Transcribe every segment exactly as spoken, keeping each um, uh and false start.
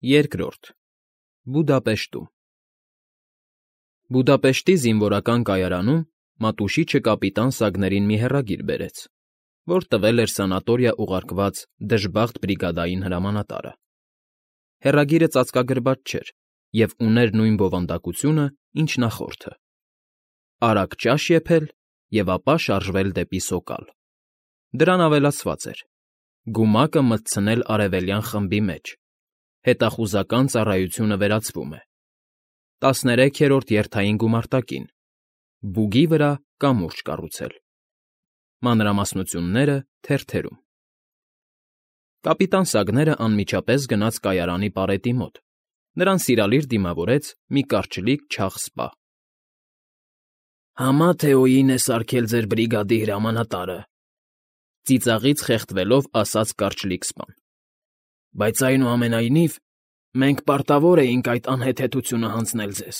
Երկրորդ Բուդապեշտում Բուդապեշտի զինվորական կայարանում Մատուշիչը կապիտան Սագներին մի հեռագիր բերեց, որ տվել էր սանատորիա ուղարկված դժբախտ բրիգադային հրամանատարը։ Հեռագիրը ծածկագրված չէր և ուներ նույն բովանդակությունը, ինչ նախորդը. արագ ճաշ եփել և ապա շարժվել դեպի Սոկալ։ Դրան ավելացված էր. գումակը մտցնել արևելյան խմբի մեջ, հետախուզական ծառայությունը վերացվում է, տասներեքերորդ երթային գումարտակին, բուգի վրա կամուրջ կառուցել։ Մանրամասնությունները թերթերում։ Կապիտան Սագները անմիջապես գնաց կայարանի պարետի մոտ, նրան սիրալիր դիմավորեց մի կարճլիկ չաղ սպա։ ֊ Համա Թեոյին է սարքել ձեր բրիգադի հրամանատարը,֊ ծիծաղից խեղդվելով ասաց կարճլիկ սպան,֊ բայց այնուամենայնիվ մենք պարտավոր էինք այդ անհեթեթությունը հանձնել ձեզ,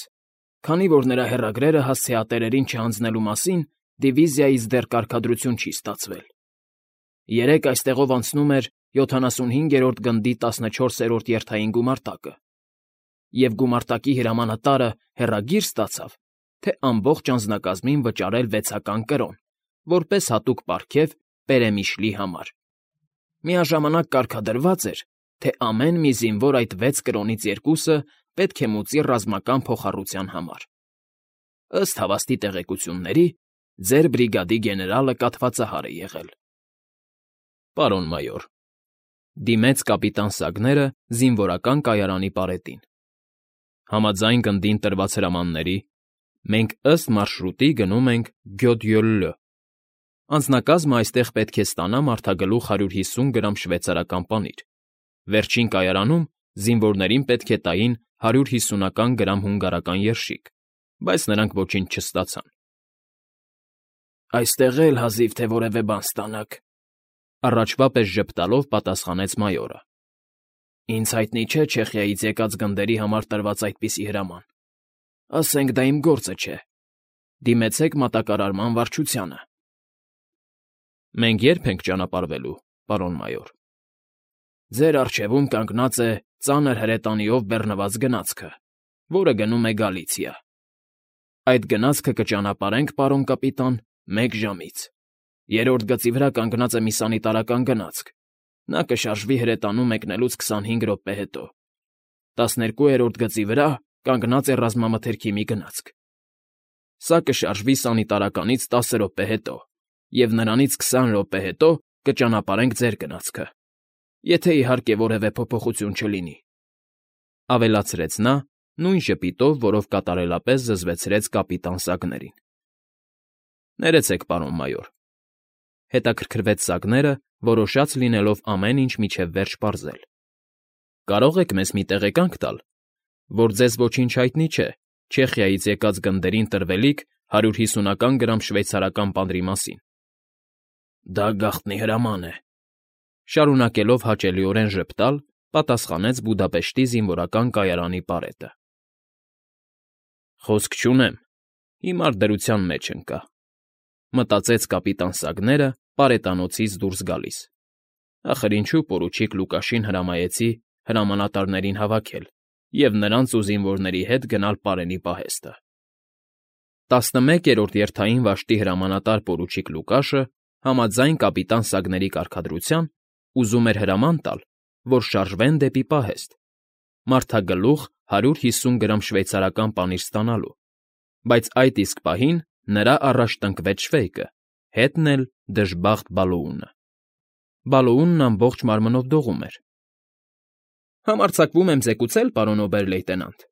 քանի որ նրա հեռագրերը հասցեատերերին չհանձնելու մասին դիվիզիայից դեռ կարգադրություն չի ստացվել։ Երեկ այստեղով անցնում էր յոթանասունհինգերորդ գնդի տասնչորսերորդ երթային գումարտակը, և գումարտակի հրամանատարը հեռագիր ստացավ, թե ամբողջ անձնակազմին վճարել վեցական կրոն, որպես հատուկ պարգև Պերեմիշլի համար։ Միաժամանակ կարգադրված էր, թե ամեն մի զինվոր այդ վեց կրոնից երկուսը պետք է մուծի ռազմական փոխառության համար։ Ըստ հավաստի տեղեկությունների, ձեր բրիգադի գեներալը կաթվածահար է եղել։ ֊ Պարոն մայոր,֊ դիմեց կապիտան Սագները զինվորական կայարանի պարետին,֊ համաձայն գնդին տրված հրամանների, մենք ըստ մարշրուտի գնում ենք Գյոդյոլլյո։ Անձնակազմը այստեղ պետք է ստանա մարդագլուխ հարյուր հիսուն գրամ շվեյցարական պանիր, վերջին կայարանում զինվորներին պետք է տային հարյուր հիսունական գրամ հունգարական երշիկ, բայց նրանք ոչինչ չստացան։ ֊ Այստեղ էլ հազիվ թե որևէ բան ստանաք,֊ առաջվա պես ժպտալով պատասխանեց մայորը։ ֊ Ինձ հայտնի չէ Չեխիայից եկած գնդերի համար տրված այդպիսի հրաման։ Ասենք դա իմ գործը չէ։ Դիմեցեք մատակարարման վարչությանը։ ֊ Մենք ե՞րբ ենք ճանապարհվելու, պարոն մայոր։ ֊ Ձեր առջևում կանգնած է ծանր հրետանիով բեռնված գնացքը, որը գնում է Գալիցիա։ Այդ գնացքը կճանապարհենք, պարոն կապիտան, մեկ ժամից։ Երրորդ գծի վրա կանգնած է մի սանիտարական գնացք, նա կշարժվի հրետանու մեկնելուց քսանհինգ րոպե հետո։ Տասներկուերորդ գծի վրա կանգնած է ռազմամթերքի մի գնացք, սա կշարժվի սանիտարականից տասը րոպե հետո, և նրանից քսան րոպե հետո կճանապարհենք ձեր գնացքը, եթե իհարկե որևէ փոփոխություն չլինի,֊ ավելացրեց նա նույն ժպիտով, որով կատարելապես զզվեցրեց կապիտան Սագներին։ ֊ Ներեցեք, պարոն մայոր,֊ հետաքրքրվեց Սագները, որոշած լինելով ամեն ինչ մինչև վերջ պարզել,֊ կարող եք մեզ մի տեղեկանք տալ, որ ձեզ ոչինչ հայտնի չէ Չեխիայից եկած գնդերին տրվելիք հարյուր հիսունական գրամ շվեյցարական պանրի մասին։ ֊ Դա գաղտնի հրաման է,֊ շարունակելով հաճելիորեն ժպտալ, պատասխանեց Բուդապեշտի զինվորական կայարանի պարետը։ ֊ Խոսք չունեմ, հիմար դրության մեջ ընկա,֊ մտածեց կապիտան Սագները պարետանոցից դուրս գալիս։ Ախր ինչու պորուչիկ Լուկաշին հրամայեցի հրամանատարներին հավաքել և նրանց ու զինվորների հետ գնալ պարենի պահեստը։ տասնմեկերորդ երթային վաշտի հրամանատար պորուչիկ Լուկաշը, համաձայն կապիտան Սագների կարգադրության, ուզում էր հրաման տալ, որ շարժվեն դեպի պահեստ, մարդագլուխ հարյուր հիսուն գրամ շվեյցարական պանիր ստանալու, բայց այդ իսկ պահին նրա առաջ տնկվեց շվեյկը, հետն էլ դժբախտ Բալոունը։ Բալոունն ամբողջ մարմնով դողում էր։ ֊ Համարձակվում եմ զեկուցել, պարոն օբեր֊լեյտենանտ,֊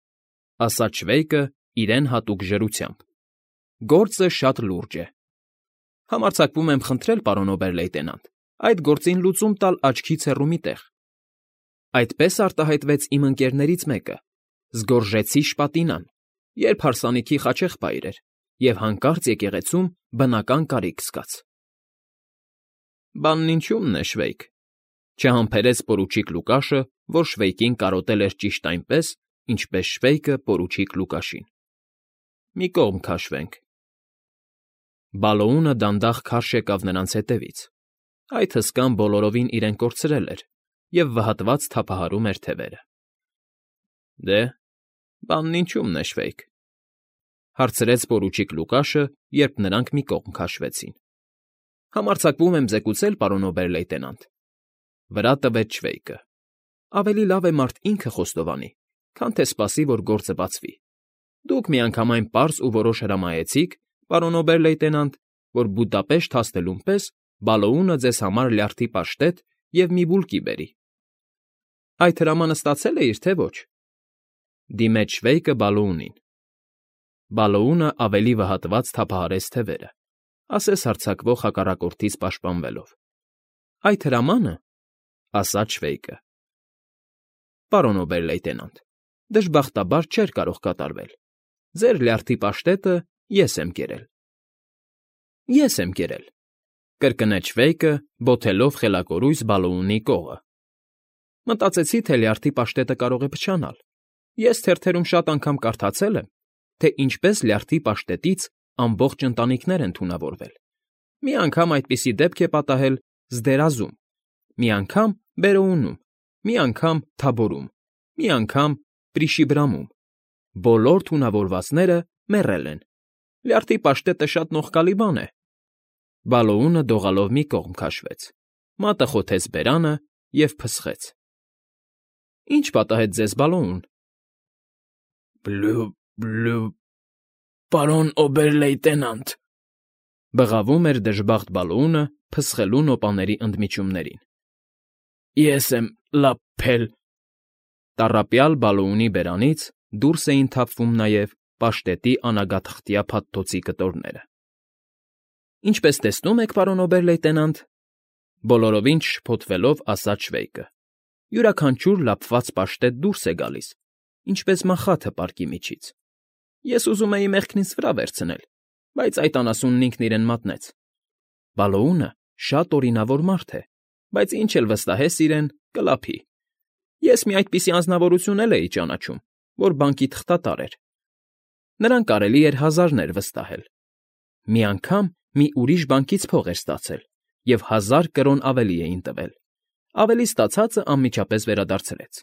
ասաց շվեյկը իրեն հատուկ ժրությամբ,֊ գործը շատ լուրջ է։ Համարձակվում եմ խնդրել, պարոն օբեր֊լեյտենանտ, այդ գործին լուծում տալ աչքից հեռու մի տեղ։ Այդպես արտահայտվեց իմ ընկերներից մեկը, Զգորժեցի Շպատինան, երբ հարսանիքի խաչեղբայր էր և հանկարծ եկեղեցում բնական կարիք զգաց։ ֊ Բանն ինչումն է, շվեյկ,֊ չհամբերեց պորուչիկ Լուկաշը, որ շվեյկին կարոտել էր ճիշտ այնպես, ինչպես շվեյկը պորուչիկ Լուկաշին։ ֊ Մի կողմ քաշվենք։ Բալոունը դանդաղ քարշ եկավ նրանց հետևից։ Այդ հսկան բոլորովին իրեն կորցրել էր և վհատված թափահարում էր թևերը։ Դե, բանն ինչու՞մն է, Շվեյք,֊ հարցրեց պորուչիկ Լուկաշը, երբ նրանք մի կողմ քաշվեցին։ ֊ Համարձակվում եմ զեկուցել, պարոն օբեր֊լեյտենանտ,֊ վրա տվեց Շվեյկը։ Ավելի լավ է մարդ ինքը խոստովանի, քան թե սպասի, որ գործը բացվի։ Դուք միանգամայն պարզ ու որոշ հրամայեցիք, պարոն օբեր֊լեյտենանտ, որ Բուդապեշտ հասնելուն պես Բալոունը ձեզ համար լյարդի պաշտետ և մի բուլկի բերի։ ֊ Այդ հրամանը ստացել էիր, թե ոչ,֊ դիմեց Շվեյկը Բալոունին։ Բալոունը ավելի վհատված թափահարեց թևերը, ասես հարձակվող հակառակորդից պաշտպանվելով։ ֊ Այդ հրամանը,֊ ասաց Շվեյկը,֊ պարոն օբեր֊լեյտենանտ, դժբախտաբար չէր կարող կատարվել։ Ձեր լյարդի պաշտետը ես եմ կերել։ ֊ Ես եմ կերել,֊ կրկնեց Շվեյկը, բոթելով խելակորույս Բալոունի կողը։ Մտածեցի, թե լյարդի պաշտետը կարող է փչանալ։ Ես թերթերում շատ անգամ կարդացել եմ, թե ինչպես լյարդի պաշտետից ամբողջ ընտանիքներ են թունավորվել։ Մի անգամ այդպիսի դեպք է պատահել Զդերազում, մի անգամ Բերոունում, մի անգամ Թաբորում, մի անգամ Պրիշիբրամում։ Բոլոր թունավորվածները մեռել են։ Լյարդի պաշտետը շատ նողկալի բան է։ Բալոունը դողալով մի կողմ քաշվեց, մատը խոթեց բերանը և փսխեց։ ֊ Ի՞նչ պատահեց ձեզ, Բալոուն։ ֊ Բլու… բլու… պարոն օբեր֊լեյտենանտ,֊ բղավում էր դժբախտ Բալոունը փսխելու նոպաների ընդմիջումներին,֊ ես եմ լ֊լ֊լափել… Տառապյալ Բալոունի բերանից դուրս էին թափվում նաև պաշտետի անագաթղթյա փաթթոցի կտորները։ ֊ Ինչպես տեսնում եք, պարոն օբեր֊լեյտենանտ,֊ բոլորովին չշփոթվելով ասաց Շվեյկը,֊ յուրաքանչյուր լափված պաշտետ դուրս է գալիս, ինչպես մախաթը պարկի միջից։ Ես ուզում էի մեղքն ինձ վրա վերցնել, բայց այդ անասունն ինքն իրեն մատնեց։ Բալոունը շատ օրինավոր մարդ է, բայց ինչ էլ վստահես իրեն, կլափի։ Ես մի այդպիսի անձնավորություն էլ էի ճանաչում, որ բանկի թղթատար էր։ Նրան կարելի էր հազարներ վստահել։ Մի անգամ մի ուրիշ բանկից փող էր ստացել, և հազար կրոն ավելի էին տվել։ Ավելի ստացածը անմիջապես վերադարձրեց,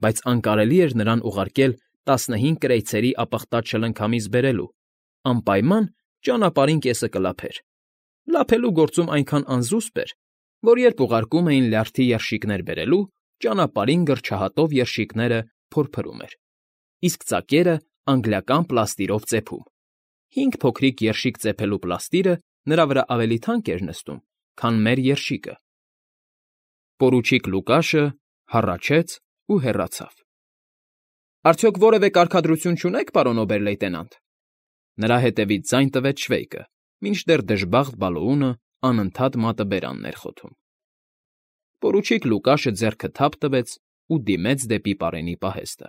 բայց անկարելի էր նրան ուղարկել տասնհինգ կրեյցերի ապխտած շլնքամիս բերելու, անպայման ճանապարհին կեսը կլափեր։ Լափելու գործում այնքան անզուսպ էր, որ երբ ուղարկում էին լյարդի երշիկներ բերելու, ճանապարհին գրչահատով երշիկները փորփրում էր, իսկ ծակերը անգլիական պլաստիրով ծեփում։ Հինգ փոքրիկ երշիկ ծեփելու պլաստիրը նրա վրա ավելի թանկ էր նստում, քան մեր երշիկը։ Պորուչիկ Լուկաշը հառաչեց ու հեռացավ։ ֊ Արդյոք որևէ կարգադրություն չունե՞ք, պարոն օբեր֊լեյտենանտ,֊ նրա հետևից ձայն տվեց Շվեյկը, մինչդեռ դժբախտ Բալոունը անընդհատ մատը բերանն էր խոթում։ Պորուչիկ Լուկաշը ձեռքը թափ տվեց ու դիմեց դեպի պարենի պահեստը։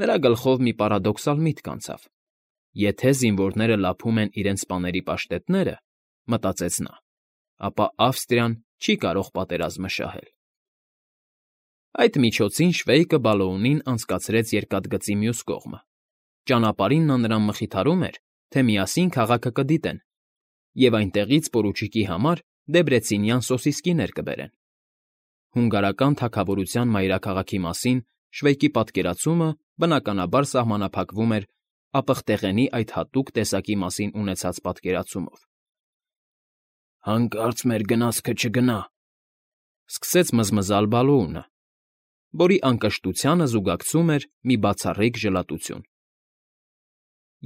Նրա գլխով մի պարադոքսալ միտք անցավ. եթե զինվորները լափում են իրենց սպաների պաշտետները, մտածեց նա, ապա Ավստրիան չի կարող պատերազմը շահել։ Այդ միջոցին Շվեյկը Բալոունին անցկացրեց երկաթգծի մյուս կողմը։ Ճանապարհին նա նրան մխիթարում էր, թե միասին քաղաքը կդիտեն, և այնտեղից պորուչիկի համար դեբրեցինյան սոսիսկիներ կբերեն։ Հունգարական թագավորության մայրաքաղաքի մասին Շվեյկի պատկերացումը, բնականաբար, սահմանափակվում էր ապխտեղենի այդ հատուկ տեսակի մասին ունեցած պատկերացումով։ «Հանկարծ մեր գնացքը չգնա,֊ սկսեց մզմզալ Բալոունը, որի անկշտությանը զուգակցում էր մի բացառիկ ժլատություն։ ֊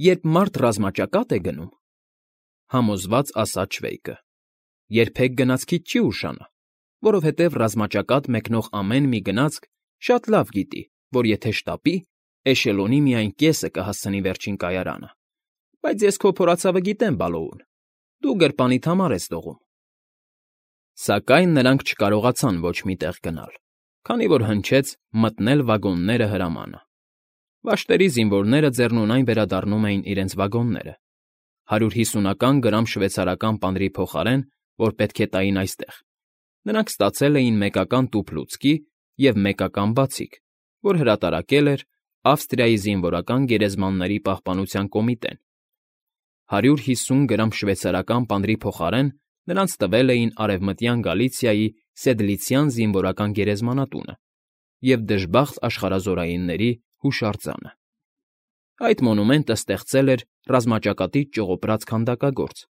Երբ մարդ ռազմաճակատ է գնում,֊ համոզված ասաց Շվեյկը,֊ երբեք գնացքից չի ուշանա, որովհետև ռազմաճակատ մեկնող ամեն մի գնացք շատ լավ գիտի, որ եթե շտապի, էշելոնի միայն կեսը կհասցնի վերջին կայարանը։ Բայց ես քո փորացավը գիտեմ, Բալոուն, դու գրպանիդ համար ես դողում։ Սակայն նրանք չկարողացան ոչ մի տեղ գնալ, քանի որ հնչեց «մտնել վագոնները» հրամանը։ Վաշտերի զինվորները ձեռնունայն վերադառնում էին իրենց վագոնները։ Հարյուր հիսունական գրամ շվեյցարական պանրի փոխարեն, որ պետք է տային այստեղ, նրանք ստացել էին մեկական տուփ լուցկի և մեկական բացիկ, որ հրատարակել էր Ավստրիայի զինվորական գերեզմանների պահպանության կոմիտեն։ Հարյուր հիսուն գրամ շվեյցարական պանրի փոխարեն նրանց տվել էին Արևմտյան Գալիցիայի Սեդլիցյան զինվորական գերեզմանատունը և դժբախտ աշխարհազորայինների Հուշարձանը։ Այդ մոնումենտը ստեղծել էր ռազմաճակատից ճողոպրած քանդակագործ,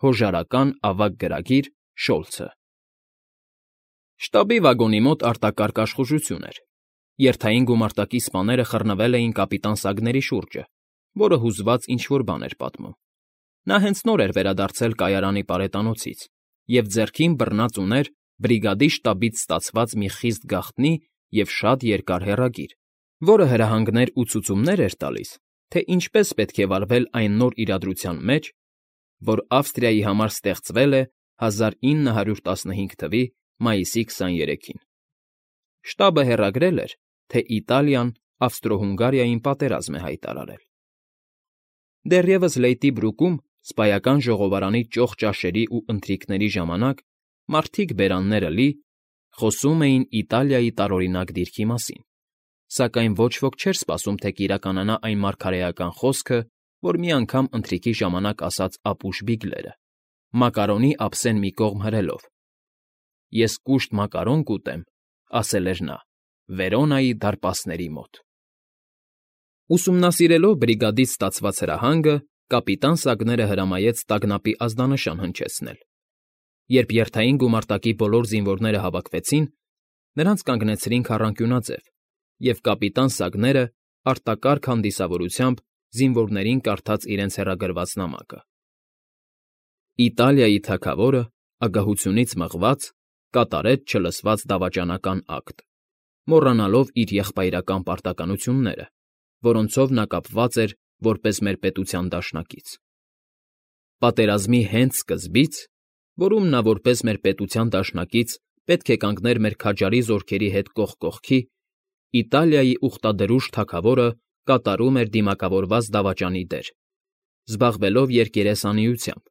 հոժարական ավագ գրագիր Շոլցը։ Շտաբի վագոնի մոտ արտակարգ աշխուժություն էր։ Երթային գումարտակի սպաները խռնվել էին կապիտան Սագների շուրջը, որը հուզված ինչ֊որ բան էր պատմում։ Նա հենց նոր էր վերադարձել կայարանի պարետանոցից և ձեռքին բռնած ուներ բրիգադի շտաբից ստացված մի խիստ գաղտնի և շատ երկար հեռագիր, որը հրահանգներ ու ցուցումներ էր տալիս, թե ինչպես պետք է վարվել այն նոր իրադրության մեջ, որ Ավստրիայի համար ստեղծվել է հազար ինը հարյուր տասնհինգ թվականի մայիսի քսաներեքին։ Շտաբը հեռագրել էր, թե Իտալիան Ավստրո֊Հունգարիային պատերազմ է հայտարարել։ Դեռևս Լեյտի բրուկում սպայական ժողովարանի ճոխ ճաշերի ու ընթրիքների ժամանակ մարդիկ բերանները լի խոսում էին Իտալիայի տարօրինակ դիրքի մասին, սակայն ոչ ոք չէր սպասում, թե կիրականանա այն մարգարեական խոսքը, որ մի անգամ ընթրիքի ժամանակ ասաց ապուշ Բիգլերը, մակարոնի ափսեն մի կողմ հրելով։ «Ես կուշտ մակարոն կուտեմ», ասել էր նա, «Վերոնայի դարպասների մոտ»։ Ուսումնասիրելով բրիգադից ստացված հրահանգը, կապիտան Սագները հրամայեց տագնապի ազդանշան հնչեցնել։ Երբ երթային գումարտակի բոլոր զինվորները հավաքվեցին, նրանց կանգնեցրին քառանկյունաձև, և կապիտան Սագները արտակարգ հանդիսավորությամբ զինվորներին կարդաց իրենց հեռագրված նամակը։ Իտալիայի թագավորը, ագահությունից մղված, կատարեց չլսված դավաճանական ակտ, մոռանալով իր եղբայրական պարտականությունները, որոնցով նա կապված էր որպես մեր պետության դաշնակից։ Պատերազմի հենց սկզբից, որում նա որպես մեր պետության դաշնակից պետք է կանգներ մեր քաջարի զորքերի հետ կողք կողքի, Իտալիայի ուխտադրուժ թագավորը կատարում էր դիմակավորված դավաճանի դեր, զբաղվելով երկերեսանիությամբ,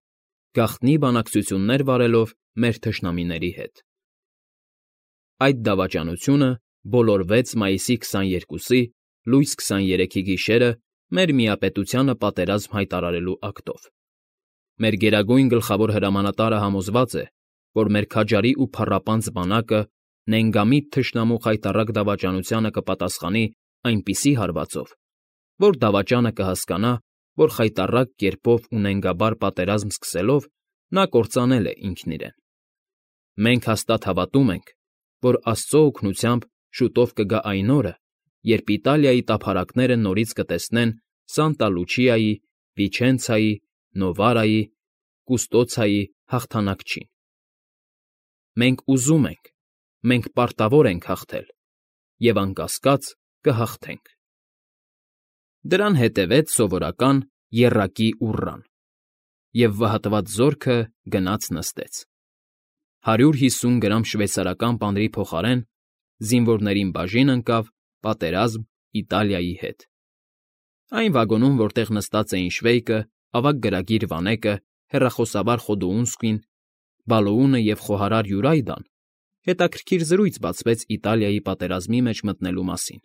գաղտնի բանակցություններ վարելով մեր թշնամիների հետ։ Այդ դավաճանությունը բոլորվեց մայիսի քսաներկուսի լույս քսաներեքի գիշերը մեր միապետությանը պատերազմ հայտարարելու ակտով։ Մեր գերագույն գլխավոր հրամանատարը համոզված է, որ մեր քաջարի ու փառապանծ բանակը նենգամիտ թշնամու խայտառակ դավաճանությանը կպատասխանի այնպիսի հարվածով, որ դավաճանը կհասկանա, որ խայտառակ կերպով ու նենգաբար պատերազմ սկսելով նա կործանել է ինքն իրեն։ Մենք հաստատ հավատում ենք, որ Աստծո օգնությամբ շուտով կգա այն օրը, երբ Իտալիայի տափարակները նորից կտեսնեն Սանտա Լուչիայի, Վիչենցիայի, Նովարայի, Կուստոցիայի հաղթանակչին։ Մենք ուզում ենք, մենք պարտավոր ենք հաղթել, և անկասկած կհաղթենք։ Դրան հետևեց սովորական եռակի ուռան, և վհատված զորքը գնաց նստեց։ Հարյուր հիսուն գրամ շվեյցարական պանրի փոխարեն զինվորներին բաժին ընկավ «Պատերազմ Իտալիայի հետ»։ Այն վագոնում, որտեղ նստած էին Շվեյկը, ավագ գրագիր Վանեկը, հեռախոսավար Խոդուունսկին, Բալոունը և խոհարար Յուրայդան, հետաքրքիր զրույց բացվեց Իտալիայի պատերազմի մեջ մտնելու մասին։